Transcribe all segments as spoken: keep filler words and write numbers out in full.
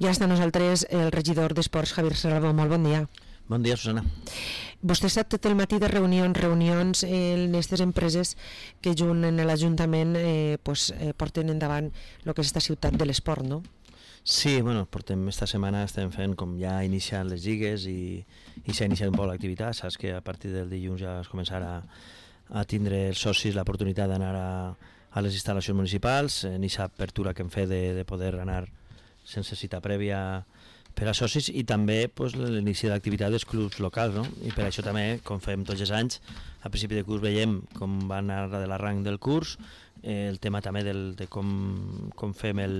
Ja està nosaltres el regidor d'Esports, Javier Salvo. Molt bon dia. Bon dia, Susana. Vostè està tot el matí de reunions, reunions en aquestes empreses que junt en l'Ajuntament eh, pues, eh, porten endavant el que és esta ciutat de l'esport, no? Sí, bueno, portem esta setmana estem fent com ja iniciant les lligues i, i s'ha iniciat un poc l'activitat. Saps que a partir del dilluns ja es començarà a tindre els socis l'oportunitat d'anar a, a les instal·lacions municipals, en aquesta apertura que hem fet de, de poder anar sense cita prèvia per a socis, i també pues, l'inici de l'activitat dels clubs locals, no? I per això també, com fem tots els anys, a principi de curs veiem com va anar de l'arranc del curs, eh, el tema també del, de com, com fem el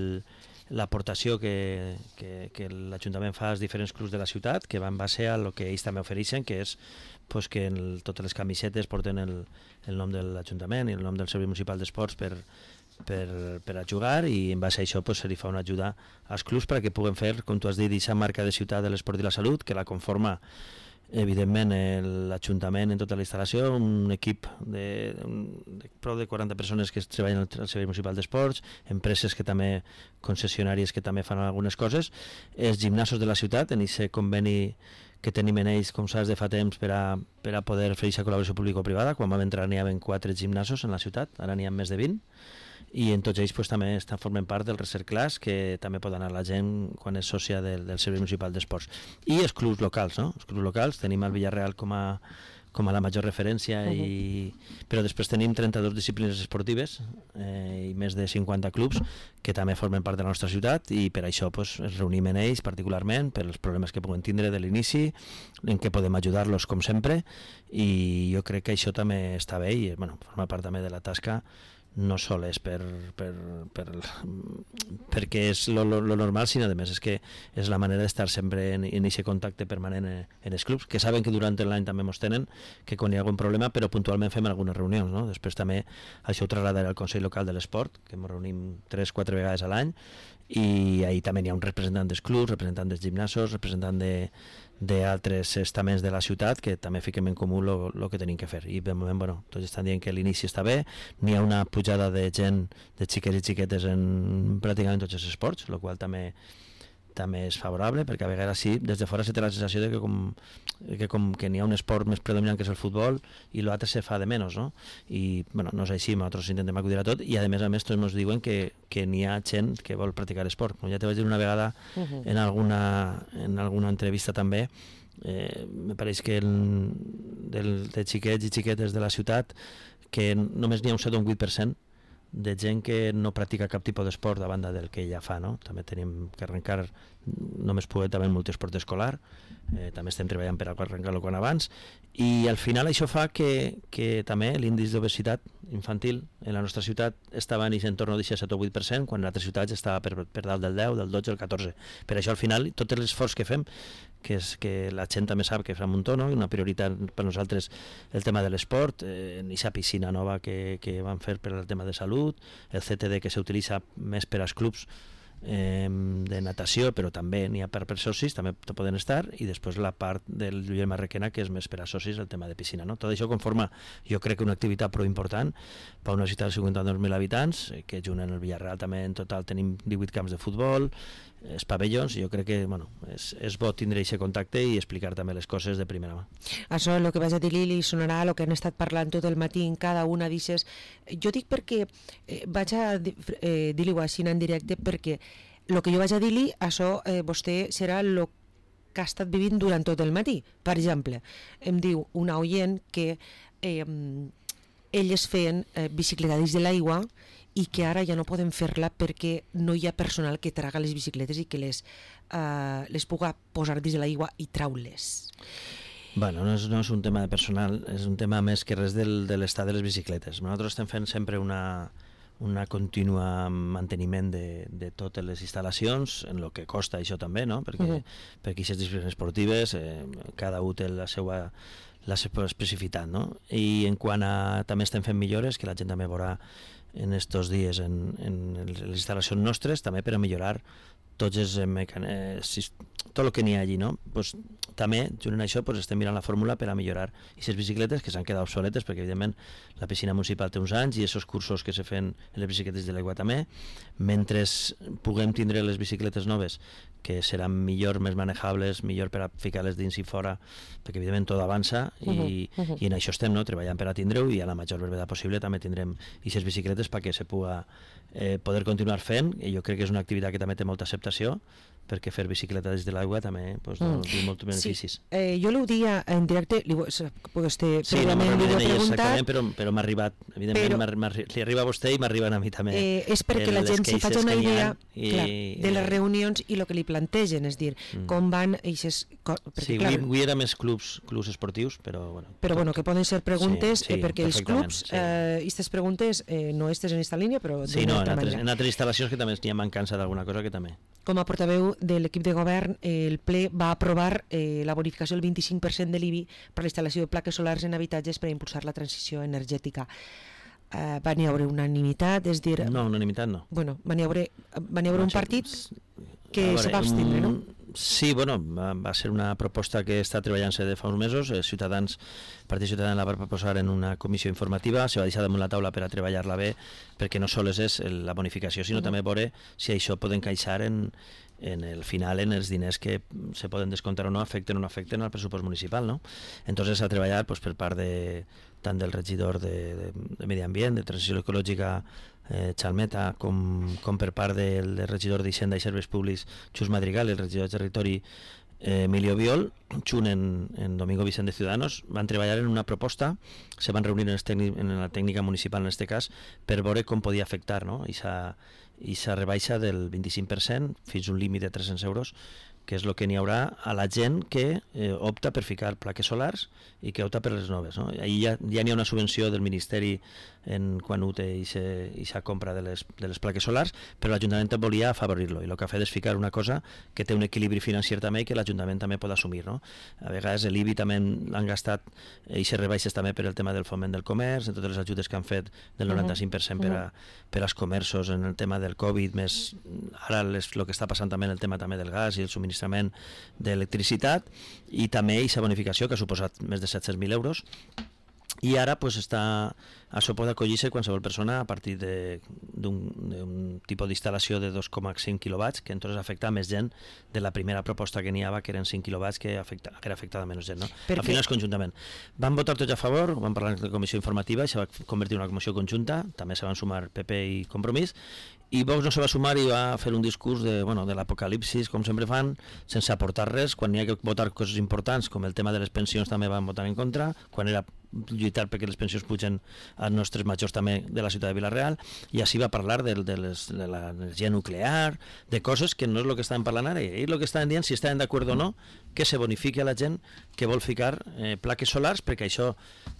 l'aportació que, que, que l'Ajuntament fa als diferents clubs de la ciutat, que va en base a el que ells també ofereixen, que és pues, que el, totes les camisetes porten el, el nom de l'Ajuntament i el nom del Servei Municipal d'Esports per, per, per a jugar, i en base a això pues, se li fa una ajuda als clubs perquè puguen fer, com tu has dit, aquesta marca de ciutat de l'esport i la salut, que la conforma evidentment l'Ajuntament en tota la instal·lació, un equip de, de prou de quaranta persones que treballen al Servei Municipal d'Esports, empreses que també, concessionàries que també fan algunes coses, els gimnasos de la ciutat, en aquest conveni que tenim en ells, com saps, de fa temps per a, per a poder fer aquesta col·laboració público-privada. Quan vam entrar n'hi havia quatre gimnasos en la ciutat, ara n'hi ha més de vint, i en tots ells pues, també estan formant part del Recerclass, que també pot anar la gent quan és sòcia del, del Servei Municipal d'Esports. I els clubs locals, no? Els clubs locals, tenim el Villarreal com a, com a la major referència, uh-huh. i... però després tenim trenta-dues disciplines esportives eh, i més de cinquanta clubs que també formen part de la nostra ciutat, i per això pues, ens reunim en ells particularment per els problemes que puguen tindre de l'inici, en què podem ajudar-los com sempre, i jo crec que això també està bé i bueno, forma part també de la tasca, no sol és per, per, per, perquè és lo, lo, lo normal, sinó a més és que és la manera d'estar sempre en, en aquest contacte permanent en, en els clubs, que saben que durant l'any també mos tenen, que quan hi ha algun problema, però puntualment fem algunes reunions, no? Després també això ho traslladarà al Consell Local de l'Esport, que ens reunim tres o quatre vegades a l'any, i ahí també hi ha un representant dels clubs, representant dels gimnasos, representant de d'altres estaments de la ciutat, que també fiquem en comú el que tenim que fer, i de moment bueno, tots estan dient que l'inici està bé, n'hi ha una pujada de gent, de xiquets i xiquetes en pràcticament tots els esports, el qual també també és favorable, perquè a vegades sí, des de fora se té la sensació de que com que, com que n'hi ha un esport més predominant que és el futbol i l'altre se fa de menys, no? I bueno, no és així, nosaltres intentem acudir a tot, i a més a més tots ens diuen que, que n'hi ha gent que vol practicar esport. Com ja te vaig dir una vegada uh-huh. en, alguna, en alguna entrevista també, eh, me pareix que el, del, de xiquets i xiquetes de la ciutat que només n'hi ha un set o un vuit per cent de gent que no practica cap tipus d'esport a banda del que ella fa, no? També tenim que arrencar, només poder també multiesport escolar, eh, també estem treballant per arrencar-lo quan abans, i al final això fa que, que també l'índice d'obesitat infantil en la nostra ciutat estava en aquest entorn del set o vuit per cent, quan en altres ciutats estava per, per dalt del deu, del dotze, del catorze. Per això al final tot l'esforç que fem, que és que la gent també sap que fa un muntó, no? Una prioritat per nosaltres el tema de l'esport, eh, en aquesta piscina nova que, que van fer per al tema de salut, el C T D que s'utilitza més per als clubs eh, de natació, però també n'hi ha per, per socis, també poden estar, i després la part del Lluís Marrequena, que és més per a socis, el tema de piscina, no? Tot això conforma, jo crec que una activitat prou important per una ciutat de cinquanta-dos mil habitants, que junt en el Villarreal també en total tenim divuit camps de futbol, els pavellons. Jo crec que bueno, és, és bo tindre aquest contacte i explicar també les coses de primera mà. Això, el que vaig a dir-li, li sonarà el que han estat parlant tot el matí en cada una d'ixes. Jo dic perquè eh, vaig a eh, dir-li-ho així en directe, perquè el que jo vaig a dir-li, això eh, vostè serà el que ha estat vivint durant tot el matí. Per exemple, em diu una oient que eh, elles feien eh, bicicleta dins de l'aigua i que ara ja no poden fer-la perquè no hi ha personal que traga les bicicletes i que les, uh, les puga posar dins de l'aigua i trau-les. Bueno, no és, no és un tema de personal, és un tema més que res del, de l'estat de les bicicletes. Nosaltres estem fent sempre una, una contínua manteniment de, de totes les instal·lacions, en el que costa això també, no? Perquè, uh-huh. perquè aquestes disciplines esportives, eh, cada un té la seva, la seva especificitat, no? I en quant a també estem fent millores, que la gent també veurà en estos dies en, en les instal·lacions nostres, també per a millorar tots els mecanismes, tot el que n'hi ha allí, no? Pues, també, junt amb això, pues, estem mirant la fórmula per a millorar aquestes bicicletes que s'han quedat obsoletes, perquè evidentment la piscina municipal té uns anys i aquests cursos que se fan en les bicicletes de l'aigua també. Mentre puguem tindre les bicicletes noves que seran millor, més manejables, millor per a ficar-les dins i fora, perquè evidentment tot avança i, uh-huh, uh-huh. i en això estem, no? Treballant per a tindre-ho, i a la major brevetat possible també tindrem aquestes bicicletes perquè se puga eh, poder continuar fent, i jo crec que és una activitat que també té molta acceptació, perquè fer bicicleta des de l'aigua també pues, mm. té molts beneficis. Sí. Eh, jo l'ho dia en directe, li, vostè sí, no m'ha preguntat, però, però m'ha arribat, evidentment, però, m'ha, li arriba a vostè i m'arriben a mi també. Eh, és perquè la gent se faci una idea i, clar, de les reunions i el que li plantegen, és dir, mm. com van eixes... Perquè, sí, clar, avui, avui era més clubs, clubs esportius, però... Bueno, però bueno, que poden ser preguntes, sí, sí, eh, perquè els clubs, aquestes sí. eh, preguntes, eh, no estes en esta línia, però sí, no, en altres, en altres instal·lacions que també n'hi ha mancança d'alguna cosa que també. Com a portaveu de l'equip de govern, el ple va aprovar eh, la bonificació del vint-i-cinc per cent de l'I B I per la instal·lació de plaques solars en habitatges per a impulsar la transició energètica. Eh, va n'hi haure unanimitat, és dir... No, unanimitat no. Bueno, va n'hi haure, va n'hi haure un partit que veure, se va abstindre, no? Sí, bueno, va, va ser una proposta que està treballant-se de fa uns mesos. Eh, Ciutadans, el Partit Ciutadans la va proposar en una comissió informativa, se va deixar damunt la taula per a treballar-la bé, perquè no sols és la bonificació, sinó uh-huh. també veure si això pot encaixar en, en el final, en els diners que se poden descomptar o no, afecten o no afecten al pressupost municipal, no? Entonces s'ha treballat pues, per part de, tant del regidor de, de, de Medi Ambient, de Transició Ecològica, eh, Chalmeta, com, com per part del, del regidor d'Hisenda i Serveis Públics, Xus Madrigal, el regidor de Territori, eh, Emilio Biol, junt en, en Domingo Vicent de Ciudadanos, van treballar en una proposta, se van reunir en, tècnic, en la tècnica municipal en aquest cas, per veure com podia afectar, no? I s'ha rebaixa del vint-i-cinc per cent fins a un límit de tres-cents euros, que és el que n'hi haurà a la gent que eh, opta per ficar plaques solars i que opta per les noves, no? Ahí ja, ja n'hi ha una subvenció del Ministeri en quan ho té aquesta compra de les, de les plaques solars, però l'Ajuntament volia afavorir-lo, i el que ha fet és ficar una cosa que té un equilibri financer també i que l'Ajuntament també pot assumir, no? A vegades l'I B I també l'han gastat i se rebaixes també per el tema del foment del comerç, en totes les ajudes que han fet del noranta-cinc per cent per, a, per als comerços en el tema del Covid, més ara el que està passant també en el tema també del gas i el subministrament d'electricitat, i també aquesta bonificació que ha suposat més de set-cents mil euros. I ara pues, està, això pot acollir-se qualsevol persona a partir d'un tipus d'instal·lació de dos coma cinc quilowatts, que entonces afecta més gent de la primera proposta que n'hi havia, que eren cinc quilowatts, que, afecta, que era afectada menys gent. No? Al final és conjuntament. Van votar tots a favor, van parlar de la comissió informativa, i se va convertir en una comissió conjunta, també se van sumar P P i Compromís, i Vox no se va sumar i va fer un discurs de, bueno, de l'apocalipsis, com sempre fan, sense aportar res. Quan hi ha que votar coses importants, com el tema de les pensions, també van votar en contra, quan era lluitar perquè les pensions pugen als nostres majors també de la ciutat de Vila-real, i així va parlar de, de, les, de l'energia nuclear, de coses que no és el que estaven parlant ara, i el que estaven dient, si estaven d'acord o no, que se bonifiqui a la gent que vol ficar eh, plaques solars, perquè això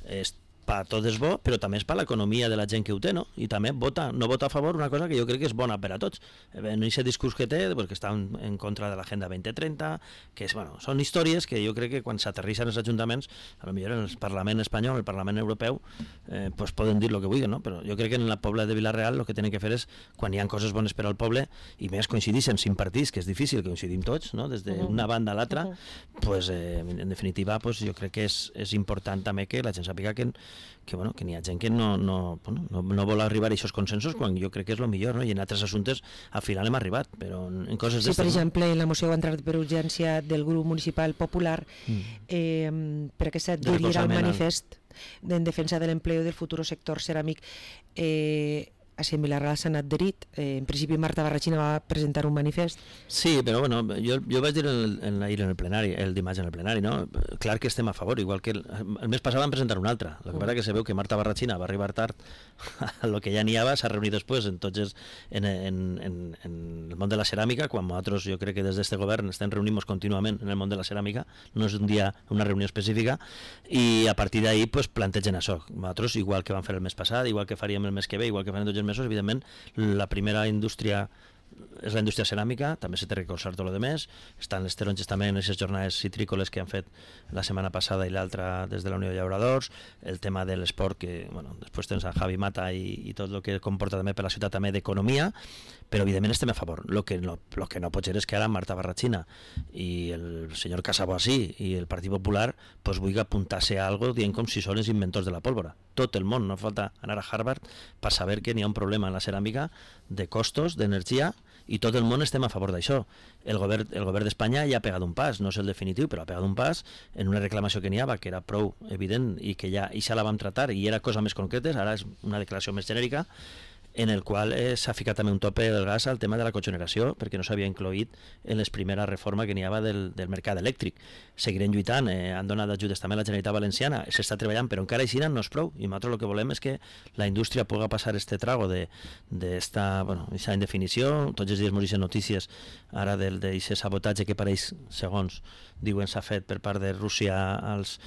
és per tot és bo, però també és per l'economia de la gent que ho té, no? I també vota, no vota a favor una cosa que jo crec que és bona per a tots. En aquest discurs que té, perquè està en contra de l'agenda vint trenta, que és, bueno, són històries que jo crec que quan s'aterrissen els ajuntaments, a lo millor en el Parlament espanyol, el Parlament europeu, eh, pues poden dir el que vulguin, no? Però jo crec que en la poble de Vila-real el que tenen que fer és, quan hi ha coses bones per al poble, i més coincideixen cinc partits, que és difícil que coincidim tots, no? Des d'una banda a l'altra, pues, eh, en definitiva, pues, jo crec que és, és important també que la gent sàpiga que que, bueno, que n'hi ha gent que no, no, bueno, no, no vol arribar a aquests consensos, quan jo crec que és el millor, no? I en altres assumptes al final hem arribat, però en coses sí, per exemple, no? La moció va entrar per urgència del grup municipal popular mm. eh, perquè s'adheriria al manifest en defensa de l'empleo del futur sector ceràmic. Eh, així en Vila-real s'han adherit. Eh, en principi Marta Barrachina va presentar un manifest. Sí, però bueno, jo, jo vaig dir en el, en, ahir en el plenari, el dimarts en el plenari, no? Clar que estem a favor, igual que el, el mes passat van presentar un altre. El que passa que se veu que Marta Barrachina va arribar tard a lo que ja n'hi havia, s'ha reunit després en tots els, en, en, en, en el món de la ceràmica, quan nosaltres jo crec que des d'este govern estem reunint-nos contínuament en el món de la ceràmica, no és un dia una reunió específica, i a partir d'ahir pues, plantegen això. Nosaltres, igual que vam fer el mes passat, igual que faríem el mes que ve, igual que farem tots els mesos, evidentment la primera indústria és la indústria ceràmica, també s'ha de recolzar tot el demés, estan les taronges també en aquestes jornades citrícoles que han fet la setmana passada i l'altra des de la Unió de Llauradors, el tema de l'esport, que bueno, després tens a Javi Mata i, i tot el que comporta també per la ciutat també d'economia, però evidentment estem a favor. El que no, lo que no pot ser és que ara Marta Barrachina i el senyor Casaboasí i el Partit Popular pues, vulgui apuntar-se a algo dient com si són els inventors de la pólvora. Tot el món, no falta anar a Harvard per saber que n'hi ha un problema en la ceràmica de costos, d'energia, i tot el món estem a favor d'això. El govern, el govern d'Espanya ja ha pegat un pas, no és el definitiu, però ha pegat un pas en una reclamació que n'hi havia, que era prou evident i que ja, i ja la vam tratar i era cosa més concretes, ara és una declaració més genèrica, en el qual eh, s'ha ficat també un tope del gas al tema de la cogeneració, perquè no s'havia incloït en les primeres reformes que n'hi havia del, del mercat elèctric. Seguirem lluitant, eh, han donat ajudes també a la Generalitat Valenciana, s'està treballant, però encara així no és prou, i nosaltres el que volem és que la indústria pugui passar este trago de, de esta, bueno, esta indefinició. Tots els dies morixen notícies ara d'aquest sabotatge que pareix, segons diuen, s'ha fet per part de Rússia als,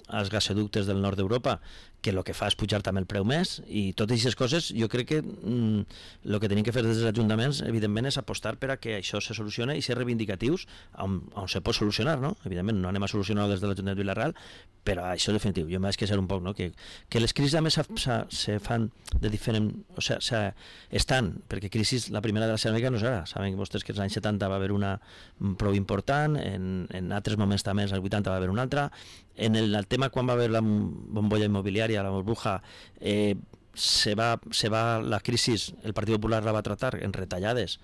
als gasoductes del nord d'Europa, que el que fa és pujar també el preu més, i totes aquestes coses jo crec que el mm, que tenim que fer des dels ajuntaments evidentment és apostar per a que això se solucione i ser reivindicatius on, on se pot solucionar, no? Evidentment no anem a solucionar des de l'Ajuntament de Vila-real, però això és definitiu, jo m'haig que ser un poc, no? que, que les crisis a més se fan de diferent, o sigui, se, estan, perquè crisis, la primera de la ceràmica no és ara, saben vostès que als anys setanta va haver una prou important, en, en altres moments també als vuitanta va haver una altra, en el, el tema quan va haver la bombolla immobiliària, la burbuja, eh, se va, se va la crisi, el Partit Popular la va tratar en retallades,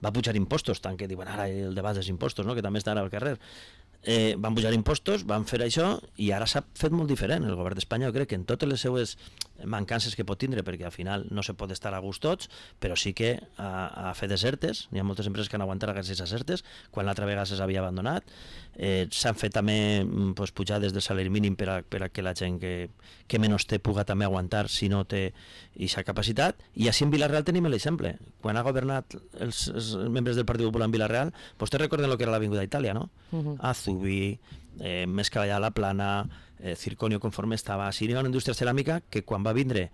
va pujar impostos, tant que diuen ara el debat dels impostos, no? Que també està ara al carrer, eh, van pujar impostos, van fer això i ara s'ha fet molt diferent. El govern d'Espanya jo crec que en totes les seues mancances que pot tindre, perquè al final no se pot estar a gust tots, però sí que ha, ha fet desertes, hi ha moltes empreses que han aguantat aquestes desertes, quan l'altra vegada se s'havia abandonat, eh, s'han fet també pues, pujades del salari mínim per a, per a que la gent que, que menys té puga també aguantar si no té aquesta capacitat, i així en Vila-real tenim l'exemple. Quan ha governat els, els membres del Partit Popular en Vila-real, vostès recorden el que era l'Avinguda Itàlia, no? Uh-huh. Azubi, eh, més que allà la Plana, eh, Circonio conforme estava. Així hi ha una indústria ceràmica que quan va vindre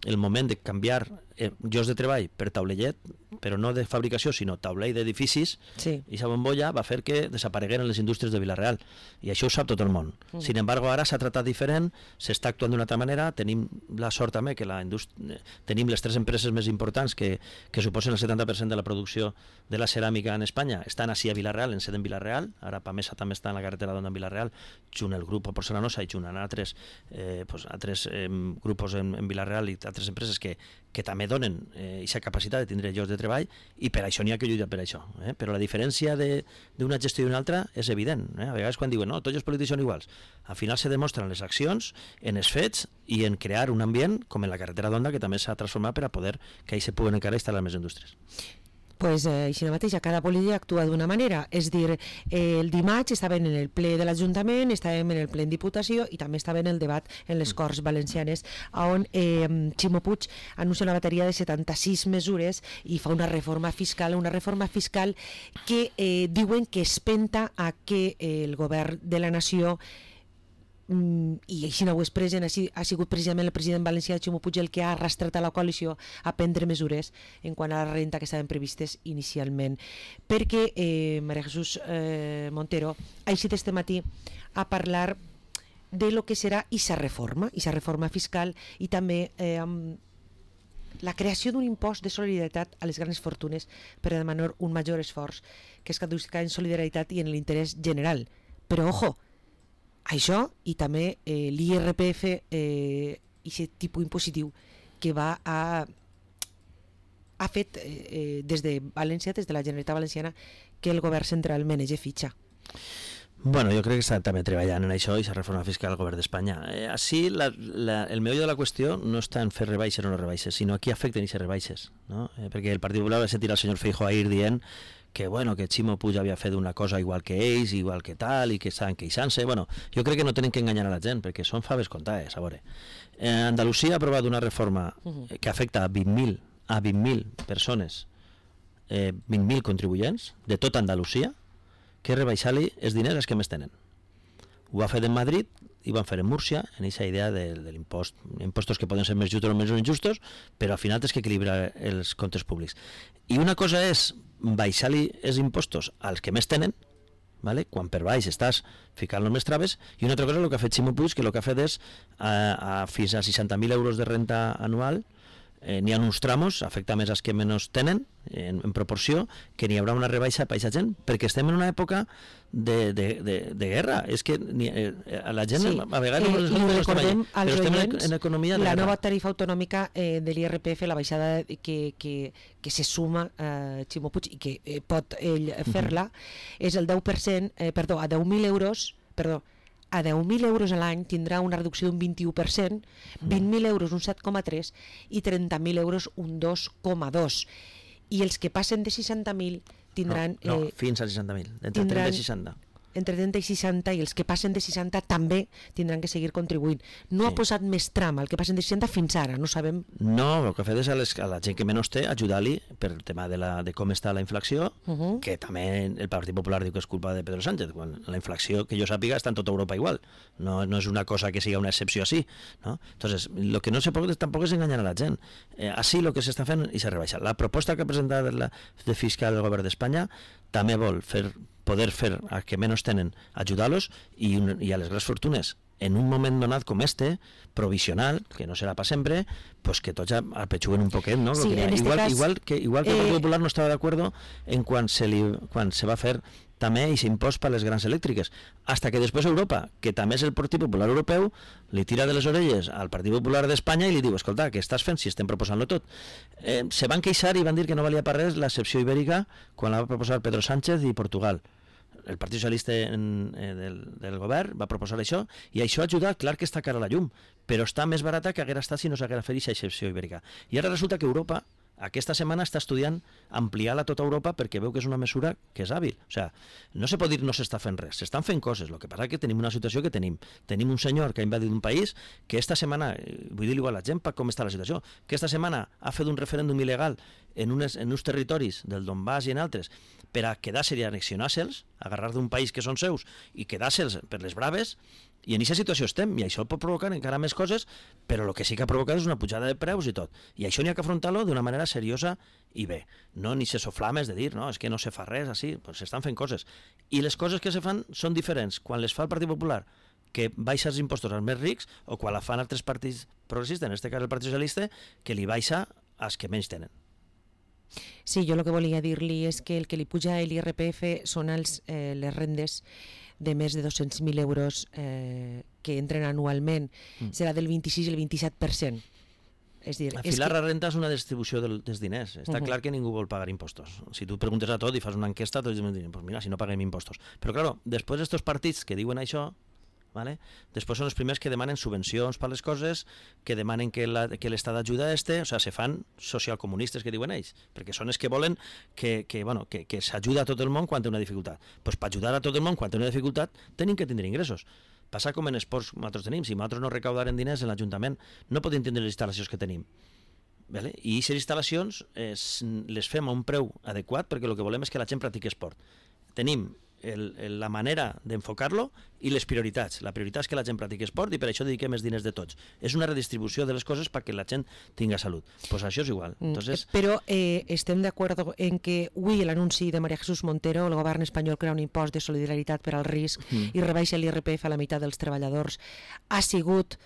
el moment de canviar eh, llocs de treball per taulellet, però no de fabricació, sinó taulell d'edificis, sí. I aquesta bombolla va fer que desaparegueren les indústries de Vila-real, i això ho sap tot el món. Mm. Sin embargo, ara s'ha tratat diferent, s'està actuant d'una altra manera, tenim la sort també que la indústria, tenim les tres empreses més importants que, que suposen el setanta per cent de la producció de la ceràmica en Espanya, estan així a Vila-real, en sede en Vila-real, ara Pamesa també està en la carretera d'Onda en Vila-real, junt el grup Porcelanosa i junt a altres, eh, pues, altres eh, grupos en, en Vila-real i altres empreses que, que també donen aquesta eh, capacitat de tindre llocs de treball, i per això n'hi ha que lluitar per això. Eh? Però la diferència d'una gestió i d'una altra és evident. Eh? A vegades quan diuen no, tots els polítics són iguals, al final se demostren les accions, en els fets i en crear un ambient com en la carretera d'Onda, que també s'ha transformat per a poder que ahí se puguen encara instal·lar més indústries. Pues eh, així mateix, cada polític actua d'una manera, és dir, eh, el dimarts estàvem en el ple de l'Ajuntament, estàvem en el ple en Diputació i també estàvem en el debat en les Corts Valencianes, on eh, Ximo Puig anuncia una bateria de setanta-sis mesures i fa una reforma fiscal, una reforma fiscal que eh, diuen que espenta a que eh, el govern de la nació, i així no ho és present, ha sigut precisament el president valencià Ximo Puig el que ha arrastrat a la coalició a prendre mesures en quant a la renta que estaven previstes inicialment, perquè eh, Maria Jesús eh, Montero ha eixit este matí a parlar de lo que serà aquesta reforma, aquesta reforma fiscal, i també eh, la creació d'un impost de solidaritat a les grans fortunes per a demanar un major esforç que es caduca en solidaritat i en l'interès general. Però, ojo, això i també eh, l'I R P F, eh, aquest tipus impositiu que va a ha fet eh, des de València, des de la Generalitat Valenciana, que el govern central menege fitxa. Bueno, jo crec que està també treballant en això i la reforma fiscal al govern d'Espanya. Eh, així, la, la, el meollo de la qüestió no està en fer rebaixes o no rebaixes, sinó a qui afecten aquestes rebaixes, no? Eh, perquè el Partit Popular va sentir al senyor Feijóo ahir dient que, bueno, que Ximo Puig havia fet una cosa igual que ells, igual que tal, i que estaven queixant-se. Bueno, jo crec que no tenen que enganyar a la gent, perquè són faves comptades, a veure. Eh, Andalusia ha aprovat una reforma que afecta a vint mil a vint mil persones, eh, vint mil contribuents de tota Andalusia, que rebaixar-li els diners als que més tenen. Ho ha fet en Madrid i van fer en Múrcia, en aquesta idea de, de l'impost, impostos que poden ser més justos o més injustos, però al final tens que equilibrar els comptes públics. I una cosa és baixar-li els impostos als que més tenen, vale? Quan per baix estàs ficant-los més traves, i una altra cosa és el que ha fet Ximo Puig, que el que ha fet és a, a, fins a seixanta mil euros de renta anual, eh, n'hi ha uns tramos, afecta més als que menys tenen, en, en proporció, que n'hi haurà una rebaixa per aquesta gent, perquè estem en una època de, de, de, de guerra. És que ni, eh, a la gent, sí. a vegades... Eh, I recordem als però estem oients en economia de la guerra. nova tarifa autonòmica eh, de l'I R P F, la baixada que, que, que se suma a eh, Ximo Puig i que eh, pot ell fer-la, uh-huh. és el deu per cent, eh, perdó, a deu mil euros, perdó, a deu mil euros a l'any tindrà una reducció d'un vint-i-u per cent, vint mil euros un set coma tres i trenta mil euros un dos coma dos. I els que passen de seixanta mil tindran... No, no eh, fins a seixanta mil, entre tindran, trenta i seixanta. Entre trenta i seixanta, i els que passen de seixanta també tindran que seguir contribuint. No sí. ha posat més tram al que passen de seixanta fins ara, no sabem... No, el que ha fet és a, les, a la gent que menys té, ajudar-li per el tema de, la, de com està la inflació, uh-huh. que també el Partit Popular diu que és culpa de Pedro Sánchez, quan la inflació, que jo sàpiga, està en tota Europa igual. No, no és una cosa que siga una excepció així. ¿No? Entonces, lo que no se pot tampoc és enganyar a la gent. Eh, així el que s'està fent i s'ha rebaixat. La proposta que ha presentat la, de fiscal del govern d'Espanya també vol fer poder fer a que menys tenen, ajudar-los i, i a les grans fortunes en un moment donat com este, provisional, que no serà per sempre, pues que tots apechuguen un poquet, ¿no? Sí, que en igual, este cas, igual que, igual que el Partit eh, Popular no estava d'acord en quan se, li, quan se va fer també aquest impost per a les grans elèctriques, hasta que després Europa, que també és el Partit Popular Europeu, li tira de les orelles al Partit Popular d'Espanya i li diu, escolta, què estàs fent si estem proposant-lo tot? Eh, se van queixar i van dir que no valia per res l'excepció ibèrica quan la va proposar Pedro Sánchez i Portugal. El Partit Socialista en, eh, del, del govern va proposar això i això ha ajudat, clar que està cara a la llum, però està més barata que haguera estat si no s'haguera fet aquesta excepció ibèrica. I ara resulta que Europa aquesta setmana està estudiant ampliar-la a tota Europa perquè veu que és una mesura que és hàbil. O sigui, no se pot dir no s'està fent res, s'estan fent coses, el que passa és que tenim una situació que tenim. Tenim un senyor que ha invadit un país que esta setmana, vull dir-li a la gent com està la situació, que esta setmana ha fet un referèndum il·legal en, unes, en uns territoris del Donbass i en altres per a quedar-se i annexionar-se'ls, agarrar d'un país que són seus i quedar-se'ls per les braves. I en aquesta situació estem, i això pot provocar encara més coses, però el que sí que ha provocat és una pujada de preus i tot. I això n'hi ha que afrontar-lo d'una manera seriosa i bé. No ni se soflames de dir, no, és que no se fa res, així, pues s'estan fent coses. I les coses que se fan són diferents quan les fa el Partit Popular, que baixa els impostos als més rics, o quan la fan altres partits progressistes, en aquest cas el Partit Socialista, que li baixa als que menys tenen. Sí, jo el que volia dir-li és que el que li puja a l'I R P F són els, eh, les rendes de més de dos-cents mil euros eh, que entren anualment. Mm. Serà del vint-i-sis i el vint-i-set per cent. És dir, afilar és que... la renta és una distribució del, dels diners. Està uh-huh. clar que ningú vol pagar impostos. Si tu preguntes a tot i fas una enquesta, tots diuen, pues mira, si no paguem impostos. Però, claro, després d'estos partits que diuen això, ¿vale? Després són els primers que demanen subvencions per les coses, que demanen que la, que l'Estat ajuda a este, o sigui, se fan socialcomunistes que diuen ells, perquè són els que volen que, que, bueno, que, que s'ajuda a tot el món quan té una dificultat. Pues per ajudar a tot el món quan té una dificultat tenim que tindre ingressos. Passa com en esports que nosaltres tenim, si nosaltres no recaudarem diners en l'Ajuntament no podem tindre les instal·lacions que tenim. Vale? I aquestes instal·lacions eh, les fem a un preu adequat perquè el que volem és que la gent practiqui esport. Tenim El, el, la manera d'enfocar-lo i les prioritats. La prioritat és que la gent practiqui esport i per això dediquem els diners de tots. És una redistribució de les coses perquè la gent tinga salut. Pues això és igual. Entonces... Però eh, estem d'acord en que avui l'anunci de María Jesús Montero, el govern espanyol crea un impost de solidaritat per al risc mm. i rebaixa l'I R P F a la meitat dels treballadors, ha sigut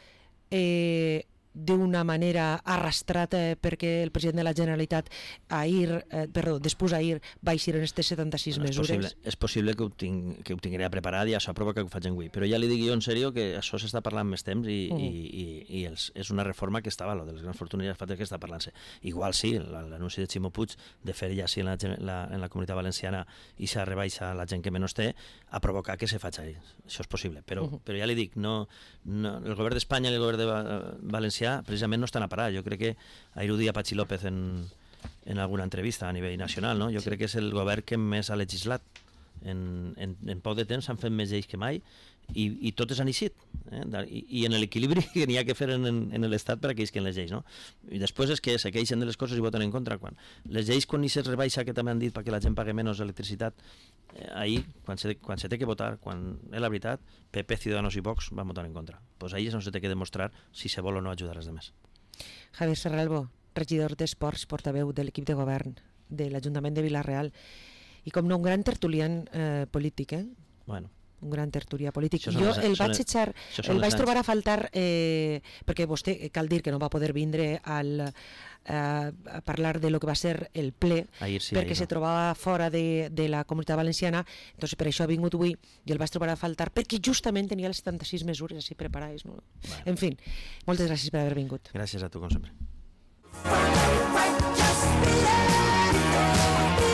eh, d'una manera arrastrada perquè el president de la Generalitat ahir, eh, perdó, després ahir va eixir en aquestes setanta-sis bueno, mesures. És possible, és possible que ho, tinc, que ho tingué preparat i això provoca que ho faig avui, però ja li dic jo en sèrio que això s'està parlant més temps i, uh -huh. i, i, i els, és una reforma que estava, lo de les grans fortunes ja fa temps que està parlant-se. Igual sí, l'anunci de Ximo Puig de fer ja sí en la, la, en la comunitat valenciana i s'ha rebaixa a la gent que menys té, ha provocat que se faci ahí. Això és possible, però, uh -huh. però ja li dic, no, no, el govern d'Espanya i el govern de València precisament no estan a parar. Jo crec que ahir ho dia Patxi López en, en alguna entrevista a nivell nacional, no? Jo sí. crec que és el govern que més ha legislat. En, en, en poc de temps s'han fet més lleis que mai i, i totes han eixit. Eh? I, I en l'equilibri que n'hi ha que fer en, en l'Estat per a que isquen les lleis. No? I després és que se queixen de les coses i voten en contra. Quan les lleis, quan hi se rebaixa, que també han dit perquè la gent pague menys electricitat, eh, ahir, quan se, quan se té que votar, quan és la veritat, P P, Ciudadanos i Vox van votar en contra. Pues ahir és on se té que demostrar si se vol o no ajudar als demés. Javier Serralbo, regidor d'Esports, portaveu de l'equip de govern de l'Ajuntament de Vila-real i com no un gran tertulian eh, polític, eh? Bueno, un gran tertulià polític. Això són Jo les- el són vaig les- echar, això són el les vaig anys. trobar a faltar, eh, perquè vostè, cal dir que no va poder vindre al, eh, a parlar de lo que va ser el ple, Ahir sí, perquè ahir se no. trobava fora de, de la Comunitat Valenciana, doncs per això ha vingut avui i el vaig trobar a faltar, perquè justament tenia les setanta-sis mesures així preparades. No? Bueno. En fi, moltes gràcies per haver vingut. Gràcies a tu, com sempre. Just be